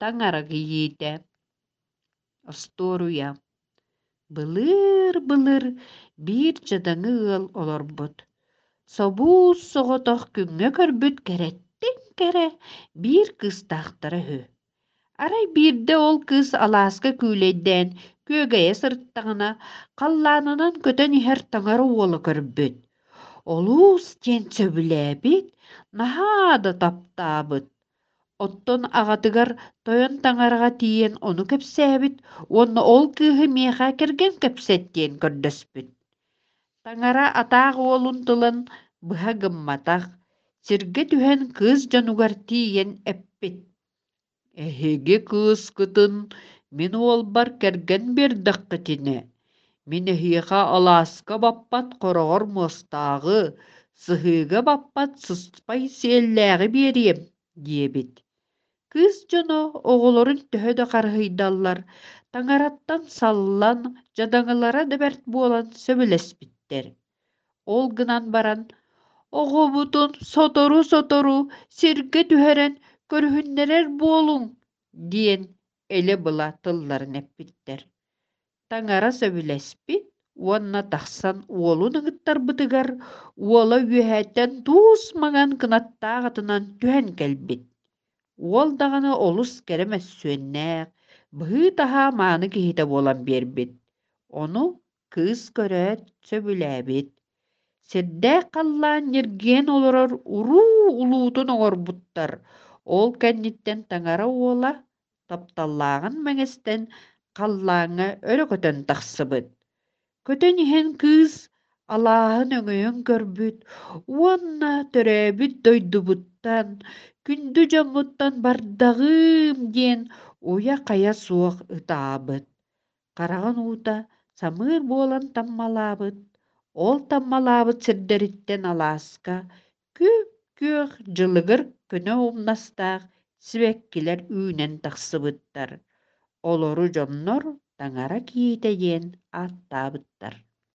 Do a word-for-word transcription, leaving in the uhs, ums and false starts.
Таҥара кийиитэ. Остуоруйа. Былыыр-былыр биир дьадаҥы ыал олорбут. Собуус соҕотох күҥҥэ көрбүт кэрэттэн кэрэ биир кыыстаахтара үһү. Арай биирдэ ол кыыс алааска күүлэйдээн күөгэйэ сырыттаҕына, халлаанынан көтөн иһэр таҥара уола көрбүт. Олус диэн сөбүлээбит, наһаа да таптаабыт. Оттон аҕатыгар тойон таҥараҕа тиийэн ону кэпсээбит уонна ол кыыһы миэхэ кэргэн кэпсэт диэн көрдөспүт. Таҥара атаах уолун тылын быһа гымматах, сиргэ түһэн кыыс дьонугар тиийэн эппит: «Эһиги кыыскытын мин уолбар кэргэн биэрдэххитинэ, мин эһиэхэ алааска баппат хороҕор муостааҕы, сыһыыга баппат сыспай сиэллээҕи биэриэм» диэбит. Кыыс дьоно оҕолорун төһө да харыһыйдаллар, таҥараттан саллан, дьадаҥылара да бэрт буолан сөбүлэспиттэр. Ол гынан баран, оҕобутун сотору-сотору сиргэ түһэрэн көрүһүннэрэр буолуҥ диэн элэ-была тылларын эппиттэр. Таҥара сөбүлэспит уонна тахсан уолун ыҥыттарбытыгар уола үөһэттэн туус маҥан кынаттаах атынан түһэн кэлбит. Уол даҕаны олус кэрэ мөссүөннээх, быһыы-таһаа мааны киһитэ буолан биэрбит. Ону кыыс көрөөт сөбүлээбит. Сирдээх халлаан ньиргийэн олорор уруу улуутун оҥорбуттар. Ол кэнниттэн таҥара уола тапталлааҕын мэҥэстэн халлааҥҥа өрө көтөн тахсыбыт. Көтөн иһэн кыыс алааһын өҥөйөн көрбүт уонна төрөөбүт дойдубуттан, күндү дьоммуттан бардаҕыым диэн уйа-хайа суох ытаабыт. Хараҕын уута самыыр буолан таммалаабыт, ол таммалаабыт сирдэриттэн алааска күп-күөх дьылыгыр көнө умнастаах сибэккилэр үүнэн тахсыбыттар. Олору дьоннор таҥара кийиитэ диэн ааттаабыттар.